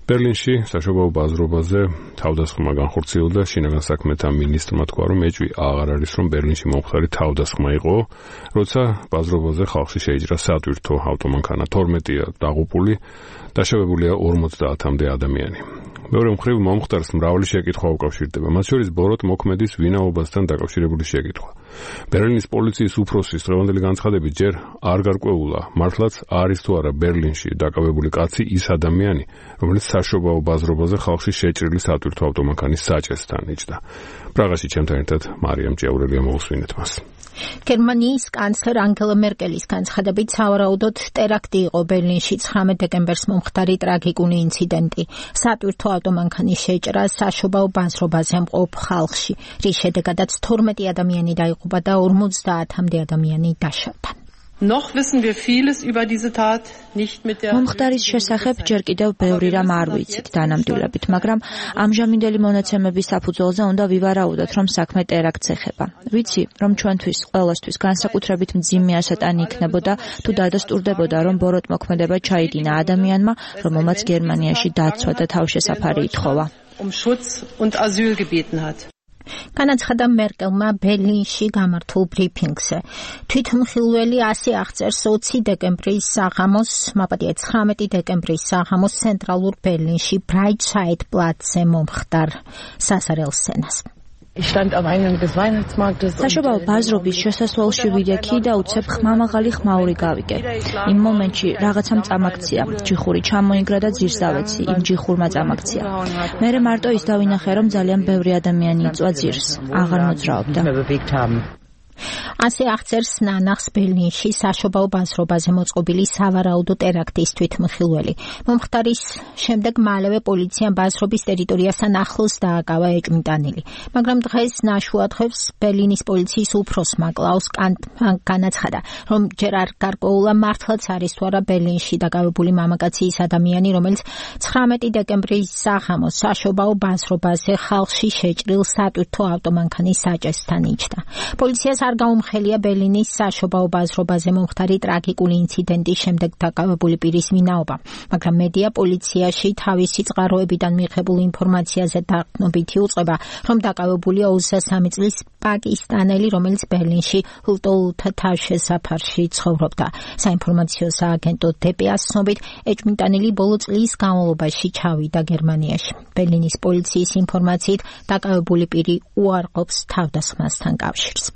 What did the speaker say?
ბერლინში საშობაო ბაზრობაზე თავდასხმა განხორციელდა. შინაგან საქმეთა მინისტრმა თქვა, რომ ეჭვი აღარ არის, რომ ბერლინში მომხდარი თავდასხმა იყო, როცა ბაზრობაზე ხალხში შეიჭრა სატვირთო ავტომანქანა. 12-ია დაღუპული, დაშავებულია 50-მდე ადამიანი. მეორე მხრივ მომხდარს მრავალი შეკითხვა უკავშირდება, მათ შორის ბოროტ მოქმედის ვინაობასთან დაკავშირებული შეკითხვა. ბერლინის პოლიციის უფროსის დღევანდელი განცხადებით ჯერ არ გარკვეულა, მართლაც არის თუ არა ბერლინში დაკავებული კაცი ის ადამიანი, რომელიც საშობაო ბაზრობაზე ხალხში შეჭრილი სატვირთო ავტომანქანის საჭესთან იჯდა. პრაღაში ჩემთან ერთად მარიამ ჭიაურელია, მოусვინეთ მას. გერმანიის კანცლერ ანგელა მერკელის განცხადებით სავარაუდოდ ტერაქტი იყო ბერლინში 19 დეკემბერს მომხდარი ტრაგიკული ინციდენტი. სატვირთო ავტომანქანის შეჭრა საშობაო ბაზრობაზე მყოფ ხალხში, რის შედეგადაც 12 ადამიანი დაიღუპა და 50-მდე ადამიანი დაშავდა. Noch wissen wir vieles über diese Tat nicht mit der მომხდარის შესახებ ჯერ კიდევ ბევრი რამ არ ვიცით დანამდვილებით, მაგრამ ამჟამინდელი მონაცემების საფუძველზე უნდა ვივარაუდოთ, რომ საქმე ტერაქტს ეხება. ვიცი, რომ ჩვენთვის ყველასთვის განსაკუთრებით მძიმე ასატანი იქნებოდა, თუ დადასტურდებოდა, რომ ბოროტ მოქმედება ჩაიდინა ადამიანმა, რომელმაც გერმანიაში დაცვა და თავშესაფარი ითხოვა. Schutz und Asyl gebeten hat. განაცხადა მერკელმა ბერლინში გამართულ ბრიფინგზე. თვითმხილველი ასე აღწერს 20 დეკემბრის საღამოს, მაპატია 19 დეკემბრის საღამოს ცენტრალურ ბერლინში ბრაიტსაიდ პლაცზე მომხდარ სასარელ სცენას. საშობაო ბაზრობის შესასვლელში ვიდექი და უცებ ხმამაღალი ხმაური გავიგე. იმ მომენტში რაღაცამ წამაქცია, ჯიხური ჩამოინგრა და ძირს დავეცი, იმ ჯიხურმა წამაქცია. მერე მარტო ის დავინახე, რომ ძალიან ბევრი ადამიანი იწვა ძირს, აღარ მოძრაობდა. ასე აღწერს ნანახს ბერლინში საშობაო ბაზრობაზე მოწყობილი სავარაუდო ტერაქტის თვითმხილველი. მომხდარის შემდეგ მალევე პოლიციამ ბაზრობის ტერიტორიასთან ახლოს დააკავა ეჭვმიტანილი. მაგრამ დღეს ნაშუადღებს ბერლინის პოლიციის უფროსმა კლაუს კანტმა განაცხადა, რომ ჯერ არ გარკვეულა მართლაც არის თუ არა ბერლინში დაკავებული მამაკაცი ის ადამიანი, რომელიც 19 დეკემბრის საღამოს საშობაო ბაზრობაზე ხალხში შეჭრილ სატვირთო ავტომანქანის საჭესთან იჯდა. პოლიციას არ გაუმხელია ბერლინის საშობაო ბაზრობაზე მომხდარი ტრაგიკული ინციდენტის შემდეგ დაკავებული პირის ვინაობა, მაგრამ მედია პოლიციაში თავისი წყაროებიდან მიღებულ ინფორმაციაზე დაყრდნობითი უწყება, რომ დაკავებულია 23 წლის პაკისტანელი, რომელიც ბერლინში ლტოლთა თავშესაფარში ცხოვრობდა. საინფორმაციო სააგენტო DPA-ს ცნობით, ეჭვმიტანილი ბოლო წლის განმავლობაში ჩავიდა გერმანიაში. ბერლინის პოლიციის ინფორმაციით, დაკავებული პირი უარყოფს თავდასხმასთან კავშირს.